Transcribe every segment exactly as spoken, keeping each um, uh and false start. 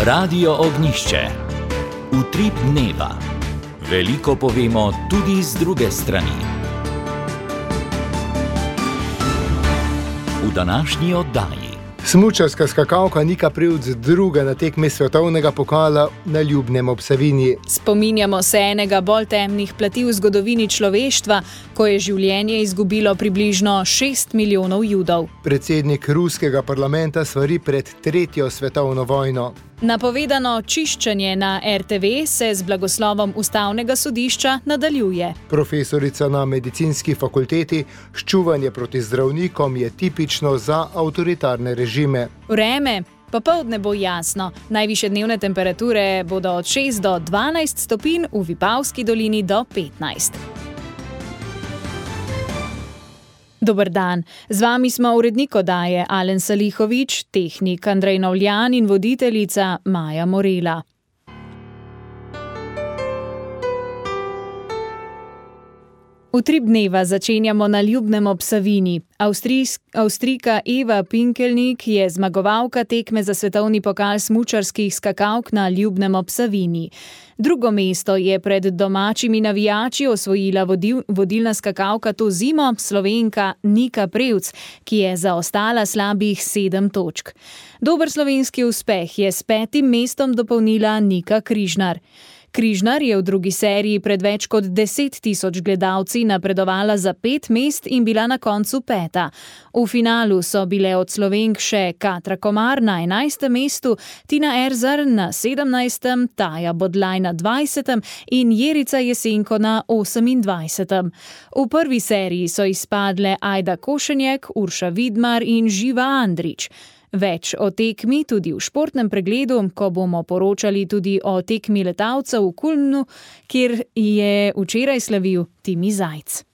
Radio Ognjišče. Utrip dneva. Veliko povemo tudi z druge strani. V današnji oddaji. Smučarska skakalka Nika Prevc druga na tekmi svetovnega pokala na Ljubnem ob Savinji. Spominjamo se enega bolj temnih plati v zgodovini človeštva, ko je življenje izgubilo približno šest milijonov Judov. Predsednik ruskega parlamenta svari pred tretjo svetovno vojno. Napovedano čiščenje na er te ve se z blagoslovom ustavnega sodišča nadaljuje. Profesorica na medicinski fakulteti: ščuvanje proti zdravnikom je tipično za avtoritarne režime. Vreme. Popoldne bo jasno. Najvišje dnevne temperature bodo od šest do dvanajst stopinj, v Vipavski dolini do petnajst. Dober dan, z vami smo urednik oddaje Alen Salihovič, tehnik Andrej Novljan in voditeljica Maja Morela. Utrip dneva začenjamo na Ljubnem ob Savinji. Avstrijsk, Avstrijka Eva Pinkelnik je zmagovalka tekme za svetovni pokal smučarskih skakalk na Ljubnem ob Savinji. Drugo mesto je pred domačimi navijači osvojila vodil, vodilna skakalka to zimo, Slovenka Nika Prevc, ki je zaostala slabih sedem točk. Dober slovenski uspeh je s petim mestom dopolnila Nika Križnar. Križnar je v drugi seriji pred več kot deset tisoč gledalci napredovala za pet mest in bila na koncu peta. V finalu so bile od Slovenk še Katra Komar na enajstem mestu, Tina Erzar na sedemnajstem, Taja Bodlaj na dvajsetem in Jerica Jesenko na osemindvajsetem. V prvi seriji so izpadle Ajda Košenjek, Urša Vidmar in Živa Andrić. Več o tekmi tudi v športnem pregledu, ko bomo poročali tudi o tekmi letalcev v Kulmnu, kjer je včeraj slavil Timi Zajc.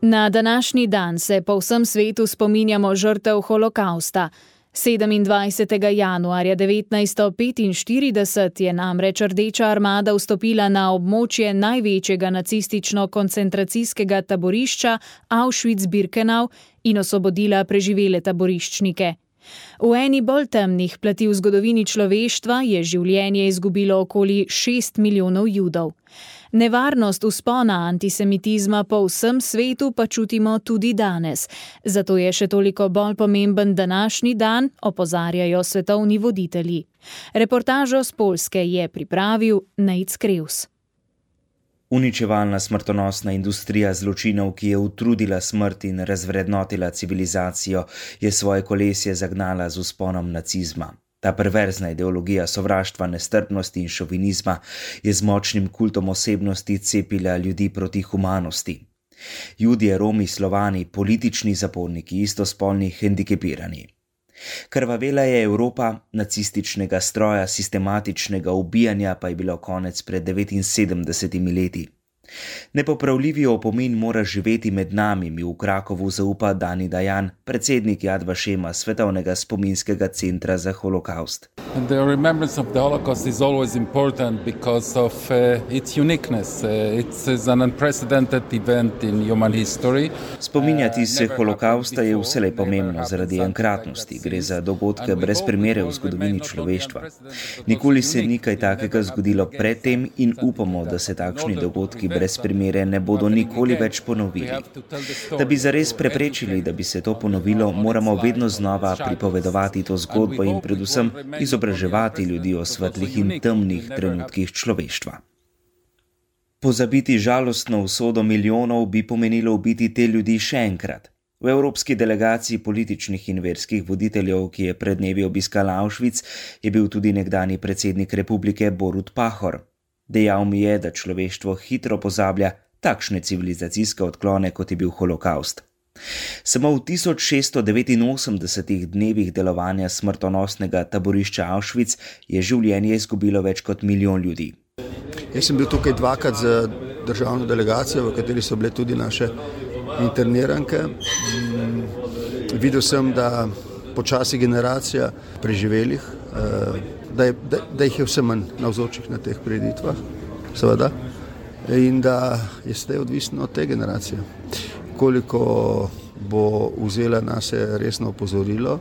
Na današnji dan se po vsem svetu spominjamo žrtev holokausta. sedemindvajsetega januarja devetnajststo petinštirideset je namreč Rdeča armada vstopila na območje največjega nacistično-koncentracijskega taborišča Auschwitz-Birkenau in osvobodila preživele taboriščnike. V eni bolj temnih plati v zgodovini človeštva je življenje izgubilo okoli šest milijonov Judov. Nevarnost vzpona antisemitizma po vsem svetu pa čutimo tudi danes. Zato je še toliko bolj pomemben današnji dan, opozarjajo svetovni voditelji. Reportažo z Poljske je pripravil Nejc Krevs. Uničevalna smrtonosna industrija zločinov, ki je utrudila smrt in razvrednotila civilizacijo, je svoje kolesje zagnala z vzponom nacizma. Ta perverzna ideologija sovraštva, nestrpnosti in šovinizma je z močnim kultom osebnosti cepila ljudi proti humanosti. Judje, Romi, Slovani, politični zaporniki, istospolni, hendikepirani. Krvavela je Evropa, nacističnega stroja, sistematičnega ubijanja pa je bilo konec pred devetinsedemdesetimi leti. Nepopravljivi opomin mora živeti med nami, mi v Krakovu zaupa Dani Dajan, predsednik Yad Vašema, svetovnega spominskega centra za holokaust. The remembrance of the Holocaust is always important because of uh, its uniqueness. Uh, it's an unprecedented event in human history. Spominjati se holokausta je vselej pomembno zaradi enkratnosti. Gre za dogodke brez primere v zgodovini človeštva. Nikoli se ni kaj takega zgodilo predtem in upamo, da se takšni dogodki brez primere ne bodo nikoli več ponovili. Da bi zares preprečili, da bi se to ponovilo, moramo vedno znova pripovedovati to zgodbo in predvsem izobraževati ljudi o svetlih in temnih trenutkih človeštva. Pozabiti žalostno usodo milijonov bi pomenilo ubiti te ljudi še enkrat. V evropski delegaciji političnih in verskih voditeljev, ki je pred dnevi obiskala Auschwitz, je bil tudi nekdanji predsednik republike Borut Pahor. Dejal mi je, da človeštvo hitro pozablja takšne civilizacijske odklone, kot je bil holokaust. Samo v tisoč šeststo devetinosemdesetih dnevih delovanja smrtonosnega taborišča Auschwitz je življenje izgubilo več kot milijon ljudi. Jaz sem bil tukaj dvakrat z državno delegacijo, v kateri so bile tudi naše interniranke. Videl sem, da počasi generacija preživelih, da, je, da, da jih je vse manj navzočih na teh prireditvah, seveda, in da je zdaj odvisno od te generacije. Koliko bo vzela nase resno opozorilo,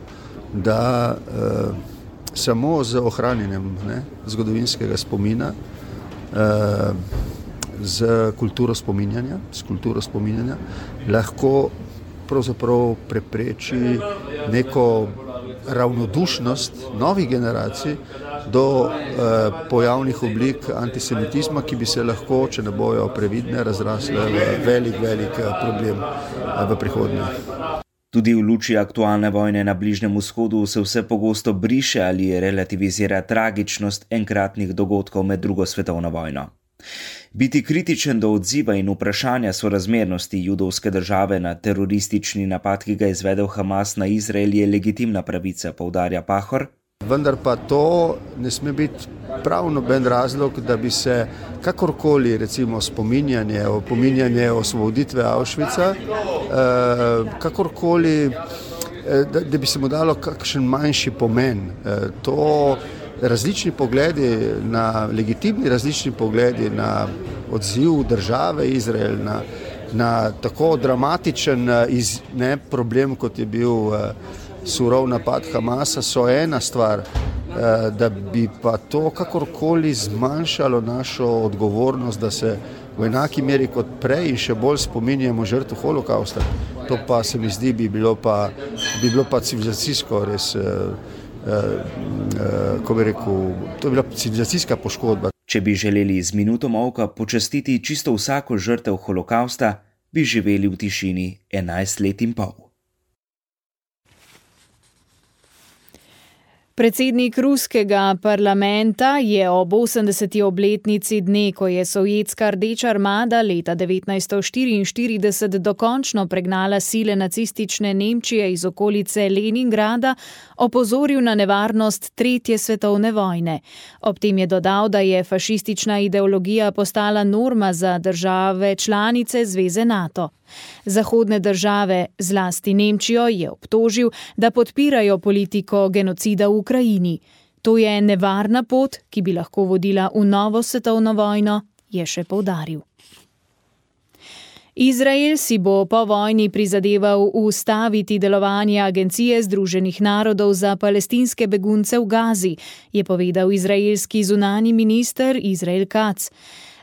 da uh, samo z ohranjenjem ne, zgodovinskega spomina, uh, z kulturo spominjanja, z kulturo spominjanja lahko pravzaprav prepreči neko ravnodušnost novih generacij do eh, pojavnih oblik antisemitizma, ki bi se lahko, če ne bojo previdne, razrasle v velik, velik problem eh, v prihodnje. Tudi v luči aktualne vojne na Bližnjem vzhodu se vse pogosto briše ali relativizira tragičnost enkratnih dogodkov med drugo svetovno vojno. Biti kritičen do odziva in vprašanja sorazmernosti judovske države na teroristični napad, ki ga je izvedel Hamas na Izrael, je legitimna pravica, poudarja Pahor. Vendar pa to ne sme biti prav noben razlog, da bi se kakorkoli recimo spominjanje, opominjanje osvoboditve Auschwitza, eh, kakorkoli, eh, da, da bi se mu dalo kakšen manjši pomen. Eh, to različni pogledi na, legitimni različni pogledi na odziv države Izrael, na, na tako dramatičen iz, ne, problem, kot je bil uh, surov napad Hamasa, so ena stvar, uh, da bi pa to kakorkoli zmanjšalo našo odgovornost, da se v enaki meri kot prej in še bolj spominjamo žrtev holokausta. To pa se mi zdi, bi bilo pa, bi bilo pa civilizacijsko res uh, Uh, uh, ko bi rekel, to je bila civilizacijska poškodba. Če bi želeli z minuto molka počastiti čisto vsako žrtev holokausta, bi živeli v tišini enajst let in pol. Predsednik ruskega parlamenta je ob osemdeseti obletnici dne, ko je Sovjetska rdeča armada leta devetnajststo štiriinštirideset dokončno pregnala sile nacistične Nemčije iz okolice Leningrada, opozoril na nevarnost tretje svetovne vojne. Ob tem je dodal, da je fašistična ideologija postala norma za države članice zveze NATO. Zahodne države, zlasti Nemčijo, je obtožil, da podpirajo politiko genocida v Ukrajini. To je nevarna pot, ki bi lahko vodila v novo svetovno vojno, je še poudaril. Izrael si bo po vojni prizadeval ustaviti delovanje Agencije Združenih narodov za palestinske begunce v Gazi, je povedal izraelski zunanji minister Izrael Katz.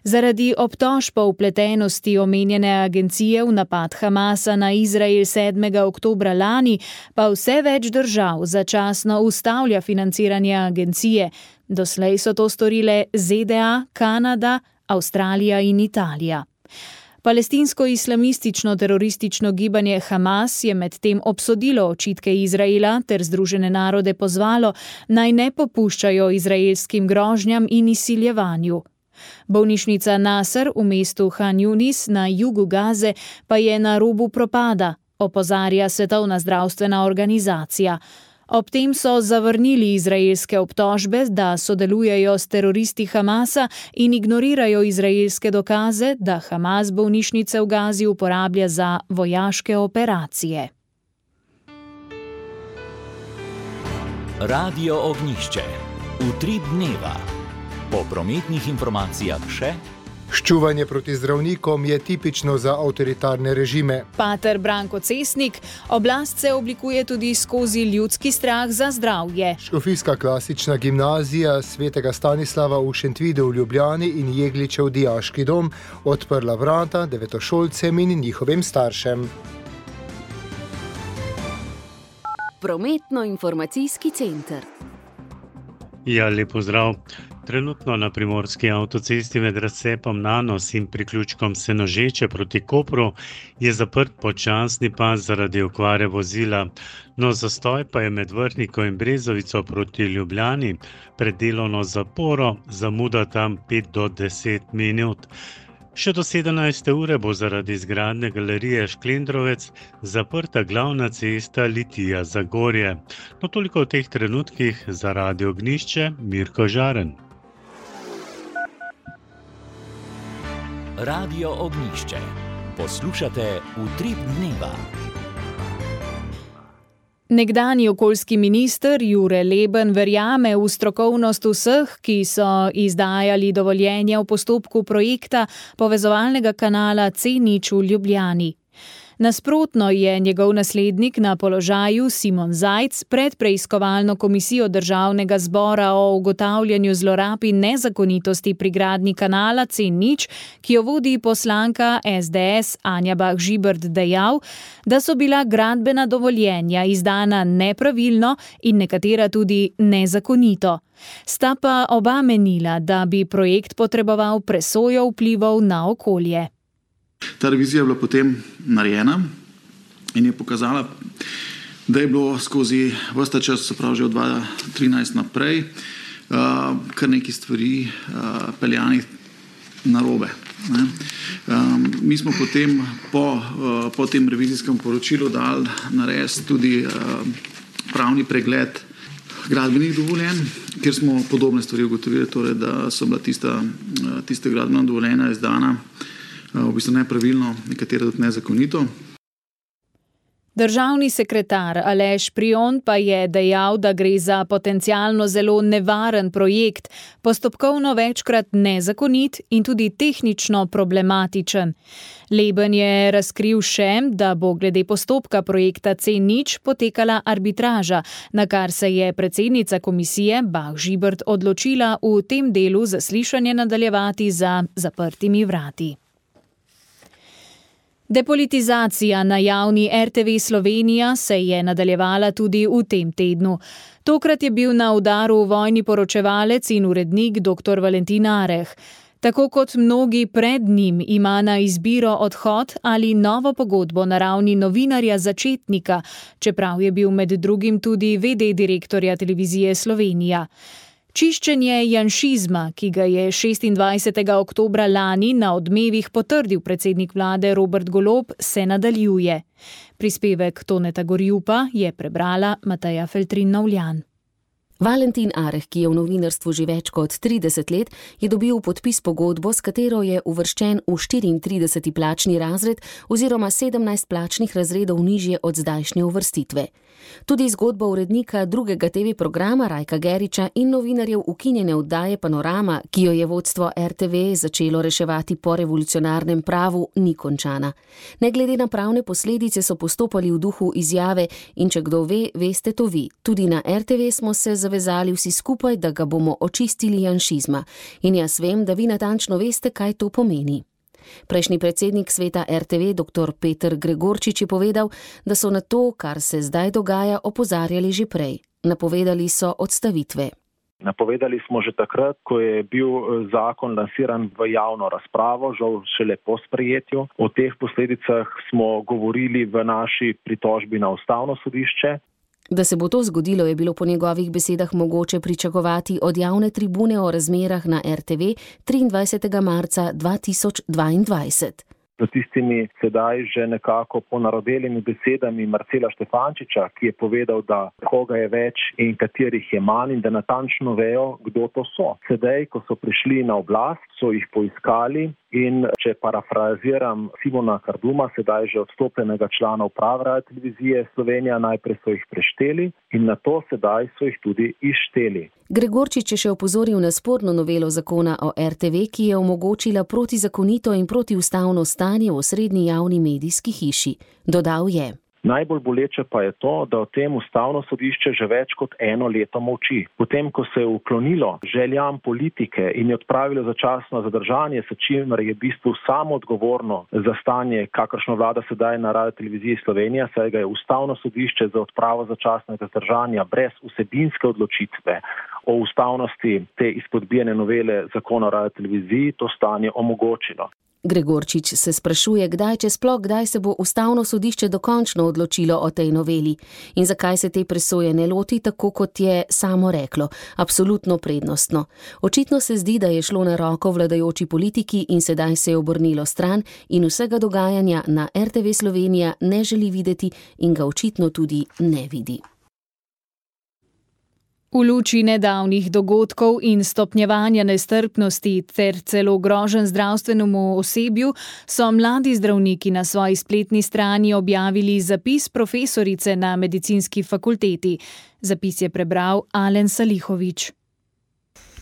Zaradi obtožb o vpletenosti omenjene agencije v napad Hamasa na Izrael sedmega oktobra lani pa vse več držav začasno ustavlja financiranje agencije. Doslej so to storile Z D A, Kanada, Avstralija in Italija. Palestinsko-islamistično teroristično gibanje Hamas je medtem obsodilo očitke Izraela ter Združene narode pozvalo, naj ne popuščajo izraelskim grožnjam in izsiljevanju. Bolnišnica Nasr v mestu Han Yunis na jugu Gaze pa je na robu propada, opozarja Svetovna zdravstvena organizacija. Ob tem so zavrnili izraelske obtožbe, da sodelujejo s teroristi Hamasa in ignorirajo izraelske dokaze, da Hamas bolnišnice v Gazi uporablja za vojaške operacije. Radio Ognjišče. Utrip dneva. Po prometnih informacijah še. Ščuvanje proti zdravnikom je tipično za avtoritarne režime. Pater Branko Cesnik, oblast se oblikuje tudi skozi ljudski strah za zdravje. Škofijska klasična gimnazija svetega Stanislava v Šentvidu v Ljubljani in Jegličev dijaški dom odprla vrata devetošolcem in njihovim staršem. Prometno-informacijski center. Ja, lep pozdrav. Trenutno na primorski avtocesti med razcepom Nanos in priključkom Senožeče proti Kopru je zaprt počasni pas zaradi okvare vozila, no zastoj pa je med Vrhniko in Brezovico proti Ljubljani, pred delovno zaporo, zamuda tam pet do deset minut. Še do sedemnajste ure bo zaradi izgradnje galerije Šklendrovec zaprta glavna cesta Litija-Zagorje. No toliko v teh trenutkih za Radio Ognjišče, Mirko Žaren. Radio Ognjišče. Poslušate Utrip dneva. Nekdanji okoljski minister Jure Leben verjame v strokovnost vseh, ki so izdajali dovoljenje v postopku projekta povezovalnega kanala C nič v Ljubljani. Nasprotno je njegov naslednik na položaju Simon Zajc pred preiskovalno komisijo Državnega zbora o ugotavljanju zlorab in nezakonitosti pri gradnji kanala C nič, ki jo vodi poslanka S D S Anja Bah Žibert, dejal, da so bila gradbena dovoljenja izdana nepravilno in nekatera tudi nezakonito. Sta pa oba menila, da bi projekt potreboval presojo vplivov na okolje. Ta revizija je bila potem narejena in je pokazala, da je bilo skozi ves ta čas, se pravi že od dva tisoč trinajst naprej, kar nekaj stvari peljanih narobe. Mi smo potem po, po tem revizijskem poročilu dali narediti tudi pravni pregled gradbenih dovoljenj, kjer smo podobne stvari ugotovili, torej, da so bila tista, tista gradbena dovoljenja izdana v bistvu nepravilno, nekatere tudi nezakonito. Državni sekretar Aleš Prijon pa je dejal, da gre za potencialno zelo nevaren projekt, postopkovno večkrat nezakonit in tudi tehnično problematičen. Leben je razkril še, da bo glede postopka projekta C nič potekala arbitraža, na kar se je predsednica komisije Bah Žibert odločila v tem delu zaslišanje nadaljevati za zaprtimi vrati. Depolitizacija na javni R T V Slovenija se je nadaljevala tudi v tem tednu. Tokrat je bil na udaru vojni poročevalec in urednik dr. Valentin Areh. Tako kot mnogi pred njim ima na izbiro odhod ali novo pogodbo na ravni novinarja začetnika, čeprav je bil med drugim tudi ve de direktorja Televizije Slovenija. Čiščenje janšizma, ki ga je šestindvajsetega oktobra lani na Odmevih potrdil predsednik vlade Robert Golob, se nadaljuje. Prispevek Toneta Gorjupa je prebrala Mateja Feltrin-Novljan. Valentin Areh, ki je v novinarstvu že več kot trideset let, je dobil podpis pogodbo, s katero je uvrščen v štiriintrideseti plačni razred oziroma sedemnajst plačnih razredov nižje od zdajšnje uvrstitve. Tudi zgodba urednika drugega te ve programa Rajka Geriča in novinarjev ukinjene oddaje Panorama, ki jo je vodstvo R T V začelo reševati po revolucionarnem pravu, ni končana. Ne glede na pravne posledice so postopali v duhu izjave in če kdo ve, veste to vi. Tudi na R T V smo se zavezali vsi skupaj, da ga bomo očistili janšizma. In jaz vem, da vi natančno veste, kaj to pomeni. Prejšnji predsednik sveta R T V, dr. Peter Gregorčič, je povedal, da so na to, kar se zdaj dogaja, opozarjali že prej. Napovedali so odstavitve. Napovedali smo že takrat, ko je bil zakon lansiran v javno razpravo, žal šele po sprejetju. O teh posledicah smo govorili v naši pritožbi na Ustavno sodišče. Da se bo to zgodilo, je bilo po njegovih besedah mogoče pričakovati od javne tribune o razmerah na R T V triindvajsetega marca dva tisoč dvaindvajset. Z tistimi sedaj že nekako ponarodelimi besedami Marcela Štefančiča, ki je povedal, da koga je več in katerih je manj in da natančno vejo, kdo to so. Sedaj, ko so prišli na oblast, so jih poiskali in če parafraziram Simona Karduma, sedaj že odstopljenega člana uprave Radiotelevizije Slovenija, najprej so jih prešteli in nato sedaj so jih tudi izšteli. Gregorčič je še opozoril na sporno novelo zakona o R T V, ki je omogočila protizakonito in protiustavno stanje v osrednji javni medijski hiši. Dodal je: Najbolj boleče pa je to, da o tem Ustavno sodišče že več kot eno leto molči. Potem, ko se je uklonilo željam politike in je odpravilo začasno zadržanje, s čimer je v bistvu samo odgovorno za stanje, kakršno vlada sedaj na Radioteleviziji Slovenija, saj ga je Ustavno sodišče za odpravo začasnega zadržanja brez vsebinske odločitve o ustavnosti te izpodbijene novele zakona o Radioteleviziji to stanje omogočilo. Gregorčič se sprašuje, kdaj, če sploh kdaj se bo Ustavno sodišče dokončno odločilo o tej noveli in zakaj se te presoje ne loti tako, kot je samo reklo, absolutno prednostno. Očitno se zdi, da je šlo na roko vladajoči politiki in sedaj se je obrnilo stran in vsega dogajanja na R T V Slovenija ne želi videti in ga očitno tudi ne vidi. V luči nedavnih dogodkov in stopnjevanja nestrpnosti ter celo groženj zdravstvenemu osebju so mladi zdravniki na svoji spletni strani objavili zapis profesorice na medicinski fakulteti. Zapis je prebral Alen Salihović.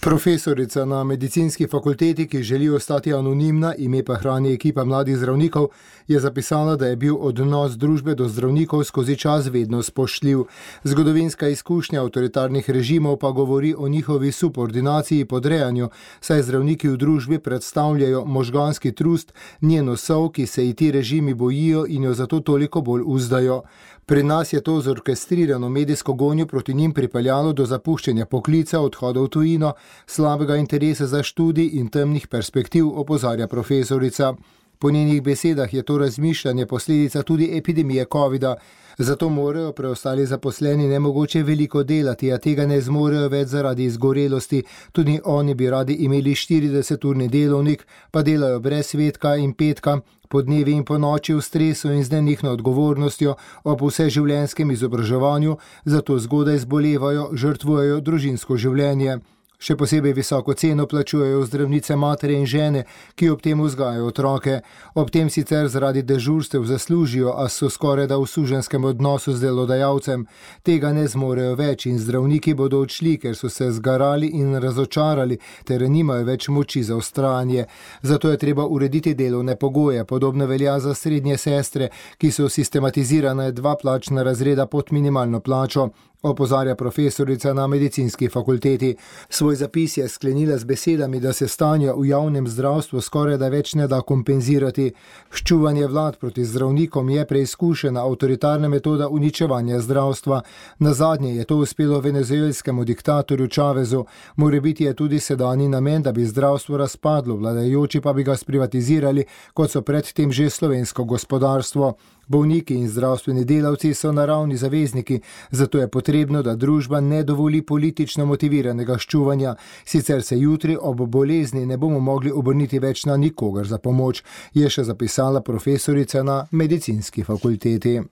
Profesorica na medicinski fakulteti, ki želi ostati anonimna, ime pa hrani ekipa mladih zdravnikov, je zapisala, da je bil odnos družbe do zdravnikov skozi čas vedno spoštljiv. Zgodovinska izkušnja avtoritarnih režimov pa govori o njihovi subordinaciji podrejanju, saj zdravniki v družbi predstavljajo možganski trust, njeno sov, ki se ji ti režimi bojijo in jo zato toliko bolj uzdajo. Pri nas je to zorkestrirano medijsko gonjo proti njim pripeljalo do zapuščanja poklica, odhoda v tujino, slabega interesa za študij in temnih perspektiv, opozarja profesorica. Po njenih besedah je to razmišljanje posledica tudi epidemije covida, zato morajo preostali zaposleni nemogoče veliko delati, a tega ne zmorejo več zaradi izgorelosti. Tudi oni bi radi imeli štirideseturni delovnik, pa delajo brez svetka in petka, po dnevi in po noči v stresu in z nenehno odgovornostjo ob vseživljenjskem izobraževanju, zato zgodaj zbolevajo, žrtvujejo družinsko življenje. Še posebej visoko ceno plačujejo zdravnice matere in žene, ki ob tem vzgajajo otroke. Ob tem sicer zaradi dežurstev zaslužijo, a so skorajda v suženskem odnosu z delodajalcem. Tega ne zmorejo več in zdravniki bodo odšli, ker so se zgarali in razočarali, ter nimajo več moči za vztrajanje. Zato je treba urediti delovne pogoje, podobno velja za srednje sestre, ki so sistematizirane dva plačna razreda pod minimalno plačo, opozarja profesorica na medicinski fakulteti. Svoj zapis je sklenila z besedami, da se stanja v javnem zdravstvu skoraj da več ne da kompenzirati. Ščuvanje vlad proti zdravnikom je preizkušena avtoritarna metoda uničevanja zdravstva. Nazadnje je to uspelo venezuelskemu diktatorju Chavezu. Morebiti je tudi sedanji namen, da bi zdravstvo razpadlo, vladajoči pa bi ga sprivatizirali, kot so predtem že slovensko gospodarstvo. Bolniki in zdravstveni delavci so naravni zavezniki, zato je potrebno, da družba ne dovoli politično motiviranega ščuvanja, sicer se jutri ob bolezni ne bomo mogli obrniti več na nikogar za pomoč, je še zapisala profesorica na medicinski fakulteti.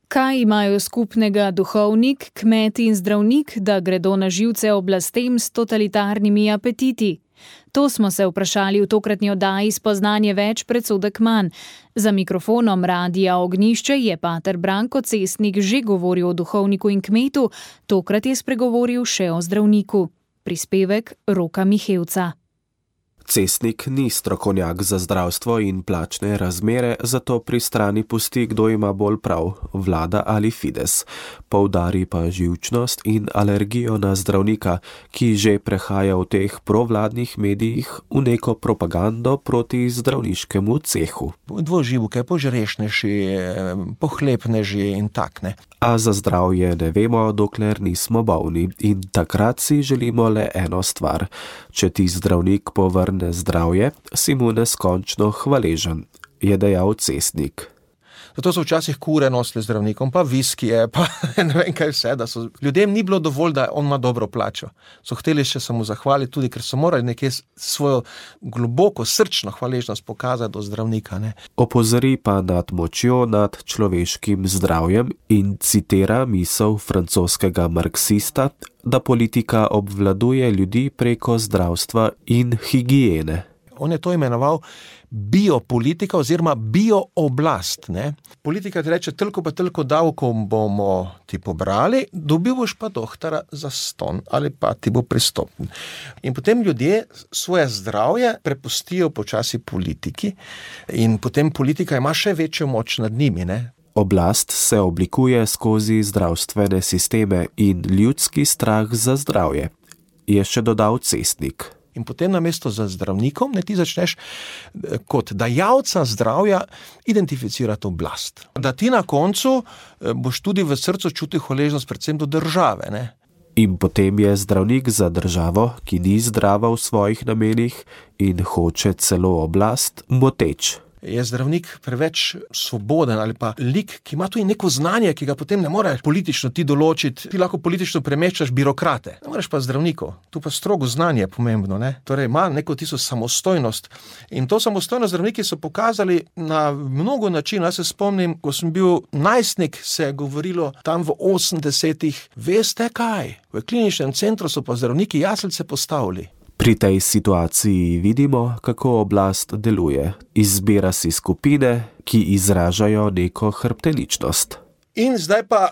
Kaj imajo skupnega duhovnik, kmet in zdravnik, da gredo na živce oblastem s totalitarnimi apetiti? To smo se vprašali v tokratni oddaji Spoznanje več, predsodek manj. Za mikrofonom Radia Ognjišče je pater Branko Cestnik že govoril o duhovniku in kmetu, tokrat je spregovoril še o zdravniku. Prispevek Roka Mihevca. Cestnik ni strokovnjak za zdravstvo in plačne razmere, zato pri strani pusti, kdo ima bolj prav, vlada ali Fides. Poudari pa živčnost in alergijo na zdravnika, ki že prehaja v teh provladnih medijih v neko propagando proti zdravniškemu cehu. Dvoživke, požrešneži, pohlepneži in takne. A za zdravje ne vemo, dokler nismo bolni, in takrat si želimo le eno stvar. Če ti zdravnik povrne zdravje, si mu neskončno hvaležen, je dejal Cestnik. Zato so včasih kure nosili zdravnikom, pa viskije, pa ne vem kaj vse, da so ljudem ni bilo dovolj, da on ima dobro plačo. So hteli še samo zahvaliti, tudi ker so morali nekje svojo globoko srčno hvaležnost pokazati do zdravnika. Ne. Opozori pa nad močjo nad človeškim zdravjem in citira misel francoskega marksista, da politika obvladuje ljudi preko zdravstva in higiene. On je to imenoval biopolitika oziroma biooblast. Ne? Politika ti reče, toliko pa toliko davkov bomo ti pobrali, dobil boš pa doktora za ston ali pa ti bo pristopen. In potem ljudje svoje zdravje prepustijo počasi politiki in potem politika ima še večjo moč nad njimi. Ne? Oblast se oblikuje skozi zdravstvene sisteme in ljudski strah za zdravje, je še dodal Cestnik. In potem namesto za zdravnikom, ne ti začneš kot dajalca zdravja identificirati oblast. Da ti na koncu boš tudi v srcu čutil hvaležnost predvsem do države. Ne? In potem je zdravnik za državo, ki ni zdrava v svojih namenih in hoče celo oblast, moteč. Je zdravnik preveč svoboden ali pa lik, ki ima tudi neko znanje, ki ga potem ne more politično ti določiti. Ti lahko politično premeščaš birokrate. Ne moreš pa zdravnikov. Tu pa strogo znanje je pomembno. Ne? Torej ima neko tisto samostojnost. In to samostojnost zdravniki so pokazali na mnogo načinov. Jaz se spomnim, ko sem bil najstnik, se je govorilo tam v osemdesetih, veste kaj? V kliničnem centru so pa zdravniki jaslice postavili. Pri tej situaciji vidimo, kako oblast deluje. Izbira si skupine, ki izražajo neko hrbteničnost. In zdaj pa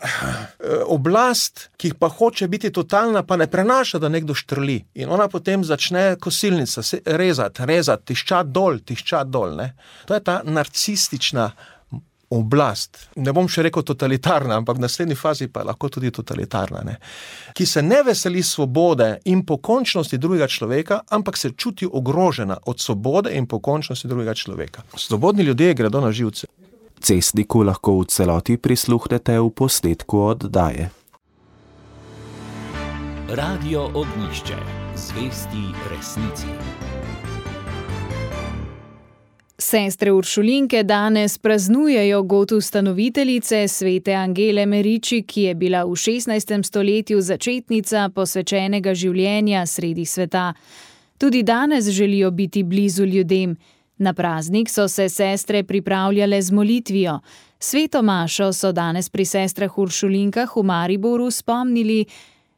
oblast, ki pa hoče biti totalna, pa ne prenaša, da nekdo štrli. In ona potem začne kosilnica rezati, rezati, tiščati dol, tiščati dol. Ne? To je ta narcistična oblast. Ne bom še rekel totalitarna, ampak v naslednji fazi pa je lahko tudi totalitarna. Ne? Ki se ne veseli svobode in pokončnosti drugega človeka, ampak se čuti ogrožena od svobode in pokončnosti drugega človeka. Svobodni ljudje gredo na živce. Cestniku lahko v celoti prisluhnete v posnetku oddaje. Radio Ognjišče. Zvesti resnici. Sestre Uršulinke danes praznujejo god ustanoviteljice svete Angele Meriči, ki je bila v šestnajstem stoletju začetnica posvečenega življenja sredi sveta. Tudi danes želijo biti blizu ljudem. Na praznik so se sestre pripravljale z molitvijo. Sveto mašo so danes pri sestrah Uršulinkah v Mariboru spomnili,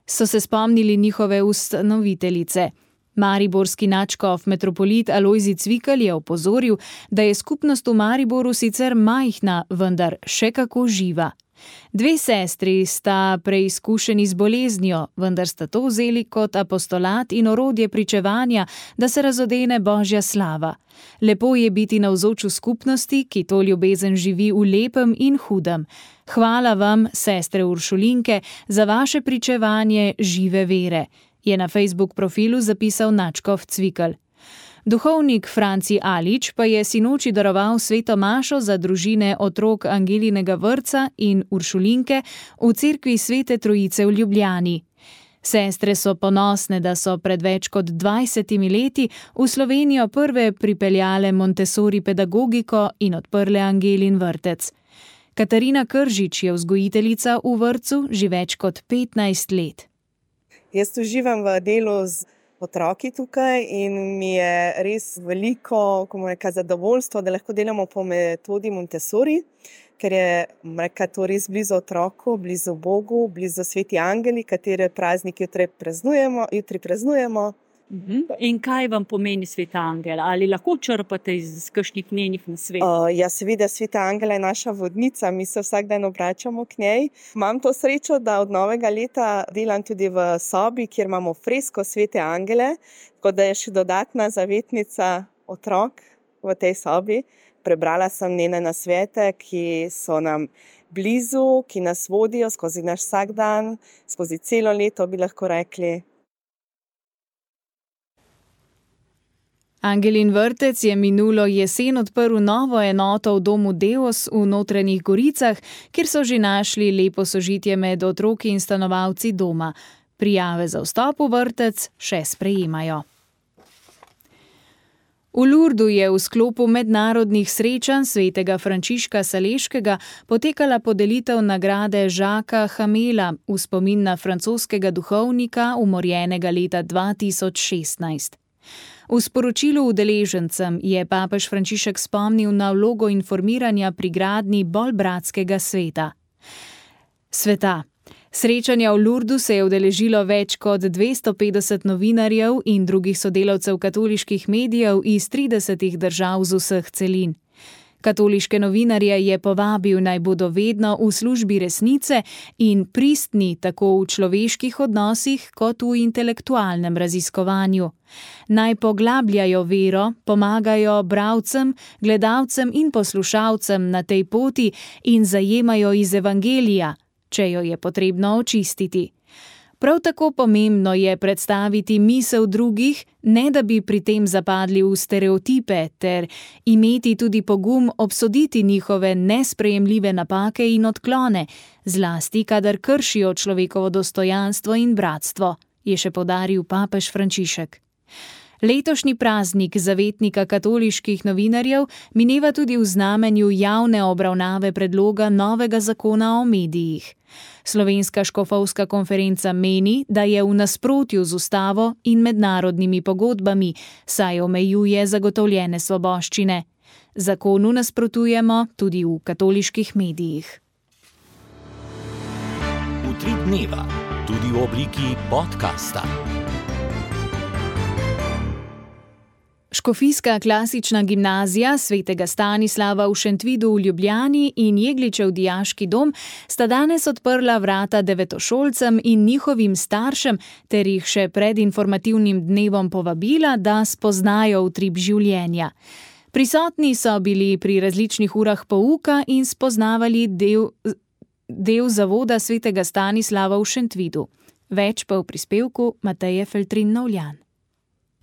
so se spomnili njihove ustanoviteljice. Mariborski nadškof metropolit Alojzij Cvikl je opozoril, da je skupnost v Mariboru sicer majhna, vendar še kako živa. Dve sestri sta preizkušeni z boleznijo, vendar sta to vzeli kot apostolat in orodje pričevanja, da se razodene Božja slava. Lepo je biti navzoč v skupnosti, ki to ljubezen živi v lepem in hudem. Hvala vam, sestre Uršulinke, za vaše pričevanje žive vere, je na Facebook profilu zapisal nadškof Cvikl. Duhovnik Franci Alič pa je sinoči daroval sveto mašo za družine otrok Angelinega vrtca in Uršulinke v cerkvi Svete Trojice v Ljubljani. Sestre so ponosne, da so pred več kot dvajsetimi leti v Slovenijo prve pripeljale Montessori pedagogiko in odprle Angelin vrtec. Katarina Kržič je vzgojiteljica v vrtcu že več kot petnajst let. Jaz uživam v delu z otroki tukaj in mi je res veliko reka, zadovoljstvo, da lahko delamo po metodi Montessori, ker je reka, to res blizu otroku, blizu Bogu, blizu sveti angeli, katere praznik jutri praznujemo. Jutri praznujemo. In kaj vam pomeni sveta angela? Ali lahko črpate iz kakšnih njenih nasvetov? Uh, ja, seveda, sveta angela je naša vodnica, mi se vsak dan obračamo k njej. Imam to srečo, da od novega leta delam tudi v sobi, kjer imamo fresko svete angele, tako da je še dodatna zavetnica otrok v tej sobi. Prebrala sem njene nasvete, ki so nam blizu, ki nas vodijo skozi naš vsak dan, skozi celo leto, bi lahko rekli. Angelin vrtec je minulo jesen odprl novo enoto v domu Deos v Notranjih Goricah, kjer so že našli lepo sožitje med otroki in stanovalci doma. Prijave za vstop v vrtec še sprejemajo. V Lurdu je v sklopu mednarodnih srečanj svetega Frančiška Saleškega potekala podelitev nagrade Žaka Hamela v spomin na francoskega duhovnika, umorjenega leta dva tisoč šestnajst. V sporočilu udeležencem je papež Frančišek spomnil na vlogo informiranja pri gradnji bolj bratskega sveta. Sveta. Srečanja v Lurdu se je udeležilo več kot dvesto petdeset novinarjev in drugih sodelavcev katoliških medijev iz tridesetih držav z vseh celin. Katoliške novinarje je povabil, naj bodo vedno v službi resnice in pristni tako v človeških odnosih kot v intelektualnem raziskovanju. Naj poglabljajo vero, pomagajo bralcem, gledalcem in poslušalcem na tej poti in zajemajo iz evangelija, če jo je potrebno očistiti. Prav tako pomembno je predstaviti misel drugih, ne da bi pri tem zapadli v stereotipe, ter imeti tudi pogum obsoditi njihove nesprejemljive napake in odklone, zlasti kadar kršijo človekovo dostojanstvo in bratstvo, je še poudaril papež Frančišek. Letošnji praznik zavetnika katoliških novinarjev mineva tudi v znamenju javne obravnave predloga novega zakona o medijih. Slovenska škofovska konferenca meni, da je v nasprotju z ustavo in mednarodnimi pogodbami, saj omejuje zagotovljene svoboščine. Zakonu nasprotujemo tudi v katoliških medijih. Utrip dneva, tudi v obliki podcasta. Škofijska klasična gimnazija svetega Stanislava v Šentvidu v Ljubljani in Jegličev dijaški dom sta danes odprla vrata devetošolcem in njihovim staršem ter jih še pred informativnim dnevom povabila, da spoznajo utrip življenja. Prisotni so bili pri različnih urah pouka in spoznavali del, del zavoda svetega Stanislava v Šentvidu. Več pa v prispevku Mateje Feltrin-Novljan.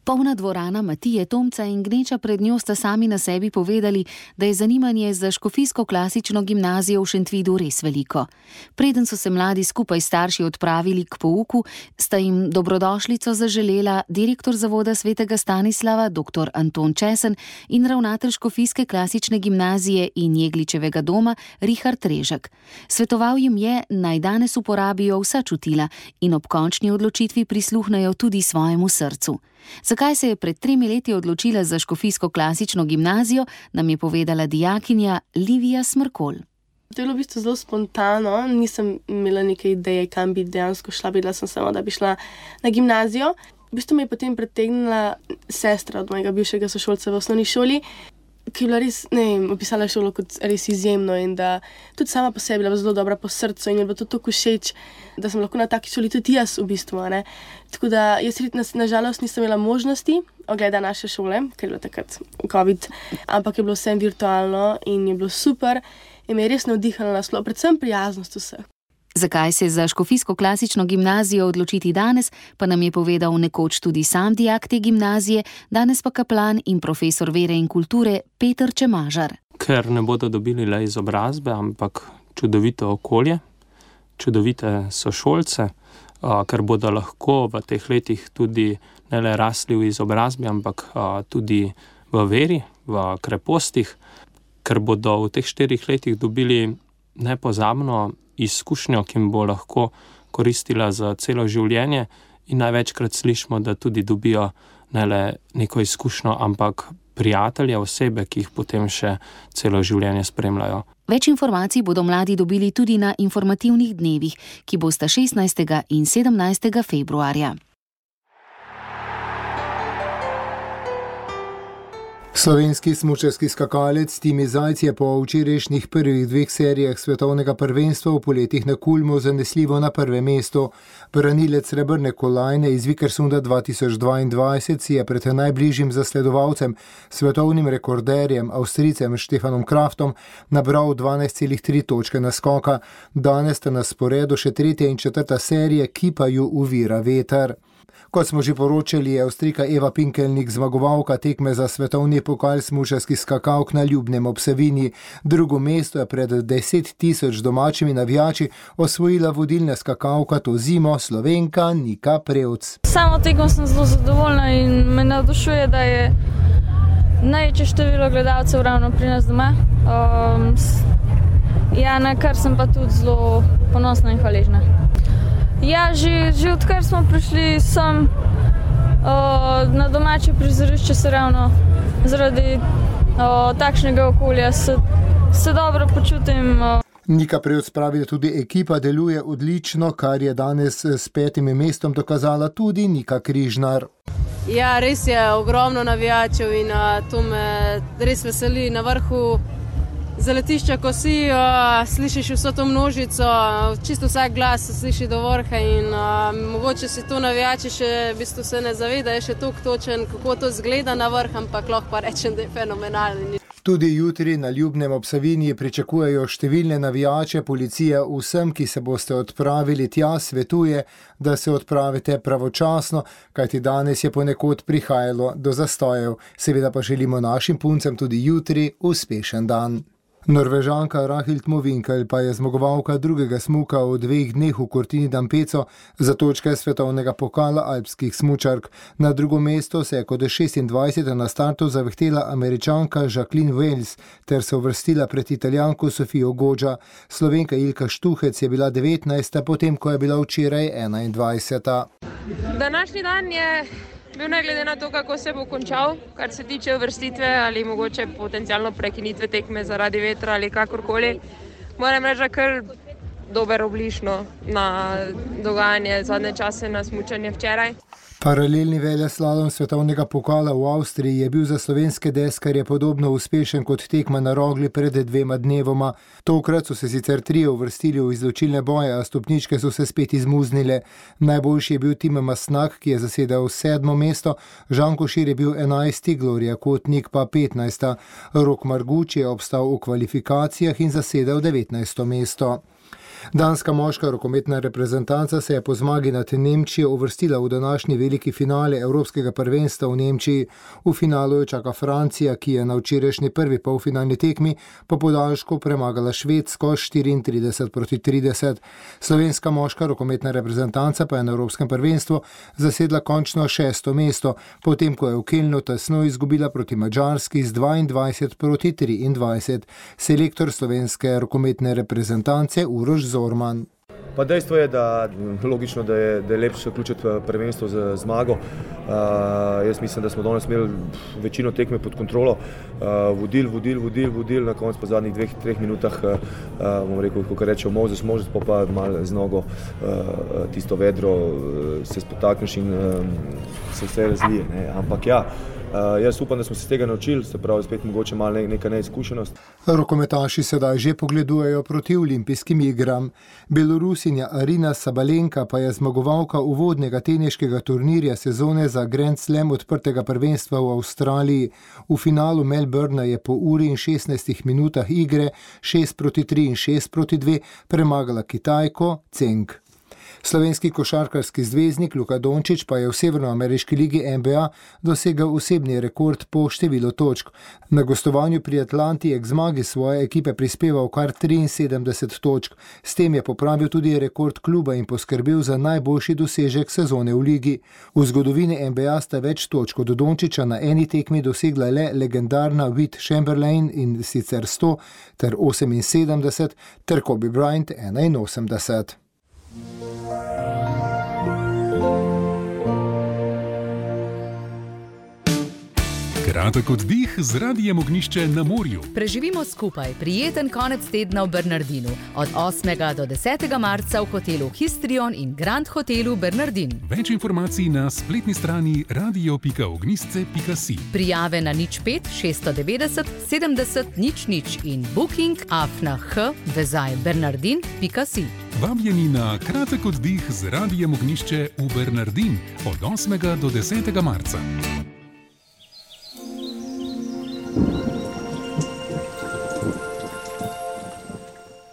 Polna dvorana Matije Tomca in gneča pred njo sta sami na sebi povedali, da je zanimanje za škofijsko klasično gimnazijo v Šentvidu res veliko. Preden so se mladi skupaj s starši odpravili k pouku, sta jim dobrodošlico zaželela direktor zavoda svetega Stanislava dr. Anton Česen in ravnatelj škofijske klasične gimnazije in Jegličevega doma Richard Režek. Svetoval jim je, naj danes uporabijo vsa čutila in ob končni odločitvi prisluhnejo tudi svojemu srcu. Zakaj se je pred tremi leti odločila za škofijsko klasično gimnazijo, nam je povedala dijakinja Livija Smrkolj. To je bilo v bistvu zelo spontano, nisem imela neke ideje, kam bi dejansko šla, bila sem samo, da bi šla na gimnazijo. V bistvu me je potem pritegnila sestra od mojega bivšega sošolca v osnovni šoli, ki je bila res, ne vem, opisala šolo kot res izjemno in da tudi sama po sebi bila zelo dobra po srcu in je bilo to tako všeč, da sem lahko na taki šoli tudi jaz v bistvu, ne. Tako da jaz nažalost nisem imela možnosti ogleda naše šole, ker je bilo takrat COVID, ampak je bilo vsem virtualno in je bilo super in me je res navdihnilo nasploh, predvsem prijaznost vseh. Zakaj se za škofijsko klasično gimnazijo odločiti danes, pa nam je povedal nekoč tudi sam dijak te gimnazije, danes pa kaplan in profesor vere in kulture Peter Čemažar. Ker ne bodo dobili le izobrazbe, ampak čudovito okolje, čudovite sošolce, ker bodo lahko v teh letih tudi ne le rasli v izobrazbi, ampak tudi v veri, v krepostih, ker bodo v teh štirih letih dobili nepozabno izkušnjo, ki jim bo lahko koristila za celo življenje in največkrat slišimo, da tudi dobijo ne le neko izkušnjo, ampak prijatelje, osebe, ki jih potem še celo življenje spremljajo. Več informacij bodo mladi dobili tudi na informativnih dnevih, ki bosta šestnajstega in sedemnajstega februarja. Slovenski smučarski skakalec Timi Zajc je po včerajšnjih prvih dveh serijah svetovnega prvenstva v poletih na Kulmu zanesljivo na prvem mestu. Branilec srebrne kolajne iz Vikersunda dva tisoč dvaindvajset si je pred najbližjim zasledovalcem, svetovnim rekorderjem, Avstrijcem Stefanom Kraftom, nabral dvanajst celih tri točke naskoka. Danes sta na sporedu še tretja in četrta serije, ki pa ju uvira veter. Kot smo že poročali, je Avstrijka Eva Pinkelnik zmagovalka tekme za svetovni pokal smučarskih skakalk na Ljubnem ob Savinji. Drugo mesto je pred deset tisoč domačimi navijači osvojila vodilna skakalka to zimo, Slovenka Nika Prevc. Samo tekmo sem zelo zadovoljna in me navdušuje, da je največje število gledalcev ravno pri nas doma. Um, ja, na kar sem pa tudi zelo ponosna in hvaležna. Ja, že, že odkar smo prišli sem uh, na domače prizorišče, se ravno zaradi uh, takšnega okolja se, se dobro počutim. Uh. Nika Prevc pravi, da tudi ekipa deluje odlično, kar je danes s petim mestom dokazala tudi Nika Križnar. Ja, res je ogromno navijačev in uh, to me res veseli. Na vrhu zaletišča, ko si, uh, slišiš vso to množico, čisto vsak glas se sliši do vrha in uh, mogoče si to navijači še v bistvu se ne zaveda, je še toliko točen, kako to zgleda na vrh, ampak lahko pa rečem, da je fenomenalni. Tudi jutri na Ljubnem ob Savinji pričakujejo številne navijače. Policija vsem, ki se boste odpravili tja, svetuje, da se odpravite pravočasno, kajti danes je ponekod prihajalo do zastojev. Seveda pa želimo našim puncem tudi jutri uspešen dan. Norvežanka Rahild Movinkel pa je zmagovalka drugega smuka v dveh dneh v Cortini d'Ampezzo za točke svetovnega pokala alpskih smučark. Na drugo mesto se je kot šestindvajseta na startu zavihtela Američanka Jacqueline Wells ter se uvrstila pred Italijanko Sofijo Goggia. Slovenka Ilka Štuhec je bila devetnajsta, potem ko je bila včeraj enaindvajseta. Današnji dan je bil ne glede na to, kako se bo končal, kar se tiče uvrstitve ali mogoče potencialno prekinitve tekme zaradi vetra ali kakorkoli. Moram reči, da kar dober oblišno na dogajanje zadnje čase na smučanje včeraj. Paralelni veleslalom svetovnega pokala v Avstriji je bil za slovenske deskarje podobno uspešen kot tekma na Rogli pred dvema dnevoma. Tokrat so se sicer trije uvrstili v izločilne boje, a stopničke so se spet izmuznile. Najboljši je bil Tim Masnak, ki je zasedal sedmo mesto, Žan Košir je bil enajsti, Gloria Kotnik pa petnajsta. Rok Marguč je obstal v kvalifikacijah in zasedal devetnajsto mesto. Danska moška rokometna reprezentanca se je po zmagi nad Nemčijo uvrstila v današnji veliki finale Evropskega prvenstva v Nemčiji. V finalu jo čaka Francija, ki je na včerajšnji prvi polfinalni tekmi po podaljšku premagala Švedsko štiriintrideset proti trideset. Slovenska moška rokometna reprezentanca pa je na Evropskem prvenstvu zasedla končno šesto mesto, potem ko je v Kelnu tesno izgubila proti Madžarski z dvaindvajset proti triindvajset. Selektor slovenske rokometne reprezentance Uroš Zorman. Pa dejstvo je, da logično, da je, da je lepše vključiti prvenstvo z zmago. Uh, jaz mislim, da smo danes imeli večino tekme pod kontrolo. Uh, vodil, vodil, vodil, vodil, na koncu po zadnjih dveh, treh minutah, uh, bom rekel, kako rečejo, Mozes, Mozes, pa pa malo z nogo uh, tisto vedro uh, se spotakneš in uh, se vse razlije. Ne? Ampak ja, Uh, jaz upam, da smo se z tega naučili, se pravi spet mogoče malo neka neizkušenost. Rokometaši sedaj že pogledujejo proti olimpijskim igram. Belorusinja Arina Sabalenka pa je zmagovalka uvodnega teniškega turnirja sezone za Grand Slam odprtega prvenstva v Avstraliji. V finalu Melbourna je po uri in šestnajstih minutah igre šest proti tri in šest proti dve premagala Kitajko Ceng. Slovenski košarkarski zvezdnik Luka Dončić pa je v severnoameriški ligi N B A dosegel osebni rekord po številu točk. Na gostovanju pri Atlanti je k zmagi svoje ekipe prispeval kar triinsedemdeset točk. S tem je popravil tudi rekord kluba in poskrbel za najboljši dosežek sezone v ligi. V zgodovini N B A sta več točk od Dončića na eni tekmi dosegla le legendarna Wilt Chamberlain in sicer sto ter oseminsedemdeset ter Kobe Bryant enainosemdeset. Kratek oddih z Radijem Ognjišče na morju. Preživimo skupaj prijeten konec tedna v Bernardinu od osmega do desetega marca v hotelu Histrion in Grand hotelu Bernardin. Več informacij na spletni strani radio pika ognjišče pika si. Prijave na nič pet šeststo devetdeset sedemdeset nič nič in booking afna h vezaj bernardin pika si. Vabljeni na kratek oddih z Radijem Ognjišče v Bernardin od osmega do desetega marca.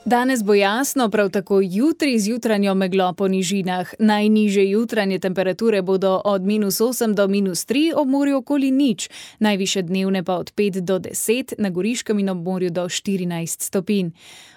Danes bo jasno, prav tako jutri z jutranjo meglo po nižinah. Najnižje jutranje temperature bodo od minus osem do minus tri, ob morju okoli nič. Najviše dnevne pa od pet do deset, na Goriškem in ob morju do štirinajst stopinj.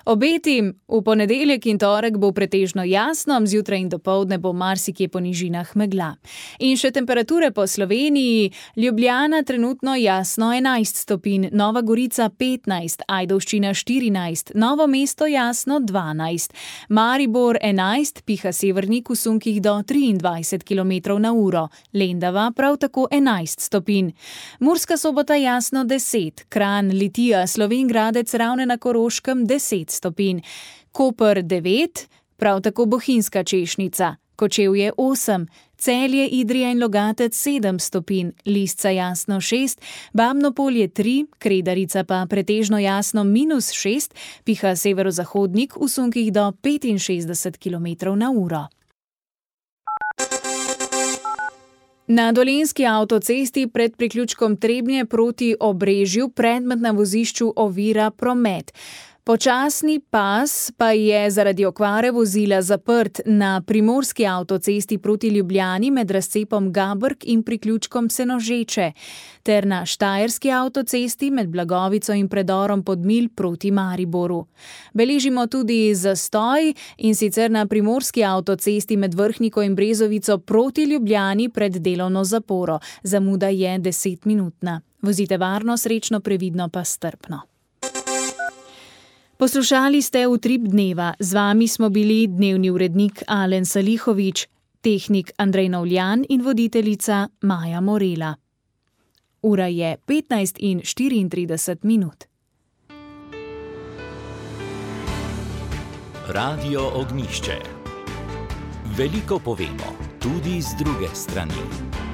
Obeti v ponedeljek in torek bo pretežno jasno, zjutraj in dopoldne bo marsikje po nižinah megla. In še temperature po Sloveniji. Ljubljana trenutno jasno enajst stopinj, Nova Gorica petnajst, Ajdovščina štirinajst, Novo mesto jasno dvanajst, Maribor enajst, piha severnik v sunkih do triindvajset kilometrov na uro, Lendava prav tako enajst stopinj. Murska Sobota jasno deset, Kranj, Litija, Slovenj Gradec, Ravne na Koroškem deset stopinj, Koper devet, prav tako Bohinjska Češnica, Kočevje osem, Celje, Idrija in Logatec sedem stopinj, Lisca jasno šest, Babno Polje tri, Kredarica pa pretežno jasno minus šest, piha severozahodnik v sunkih do petinšestdeset kilometrov na uro. Na dolenjski avtocesti pred priključkom Trebnje proti Obrežju predmet na vozišču ovira promet. Počasni pas pa je zaradi okvare vozila zaprt na primorski avtocesti proti Ljubljani med razcepom Gabrk in priključkom Senožeče, ter na štajerski avtocesti med Blagovico in predorom Podmilj proti Mariboru. Beležimo tudi zastoj in sicer na primorski avtocesti med Vrhniko in Brezovico proti Ljubljani pred delovno zaporo. Zamuda je desetminutna. Vozite varno, srečno, previdno pa strpno. Poslušali ste Utrip dneva. Z vami smo bili dnevni urednik Alen Salihovič, tehnik Andrej Novljan in voditeljica Maja Morela. Ura je petnajst in štiriintrideset minut. Radio Ognjišče. Veliko povemo. tudi z druge strani.